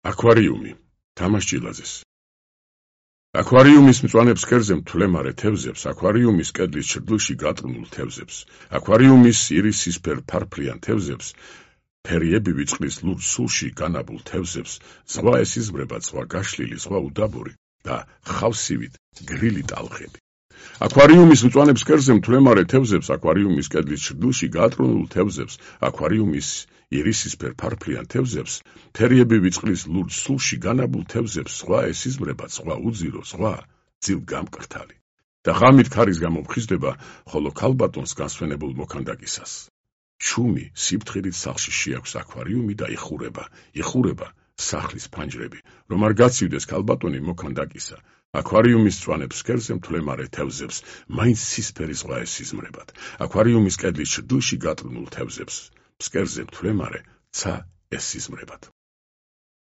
აკვარიუმი თამაშ ჭილაძეს აკვარიუმის მწვანე ფსკერზე მთლემარე თევზებს, აკვარიუმის კედლის ჩრდილში გატრუნულ თევზებს, აკვარიუმის ირისისფერ ფარფლიან თევზებს, ფერიებივი წყლის ლურჯ სულში განაბულ თევზებს, ზღვა ესიზმრება, ზღვა გაშლილი, ზღვა უდაბური და ხავსივით გრილი ტალღები. აკვარიუმის მწვანე ფსკერზე მთლემარე თევზებს, აკვარიუმის კედლის ჩრდილში გატრუნულ თევზებს, აკვარიუმის ირისისფერ ფარფლიან თევზებს, ფერიებივი წყლის ლურჯ სულში განაბულ თევზებს, ზღვა ესიზმრება, ზღვა უძირო, ზღვა ძილ გამკრთალი. და ღამით ქარის გამომხიზდება, ხოლო ქალბატონს განსვენებულ მოქანდაკისას. შუმი სიფთხილით სახლში შეაქვს აკვარიუმი და იხურება სახლის ფანჯრები, რომ არ გაცივდეს ქალბატონი მოქანდაკისა. აკვარიუმის მწვანე ფსკერზე მთლემარე თევზებს, მაინც ცისფერი ზღვა ესიზმრებათ. აკვარიუმის კედლის ჩრდილში გატრუნულ თევზებს, ფსკერზე მთლემარე ცა ესიზმრებათ.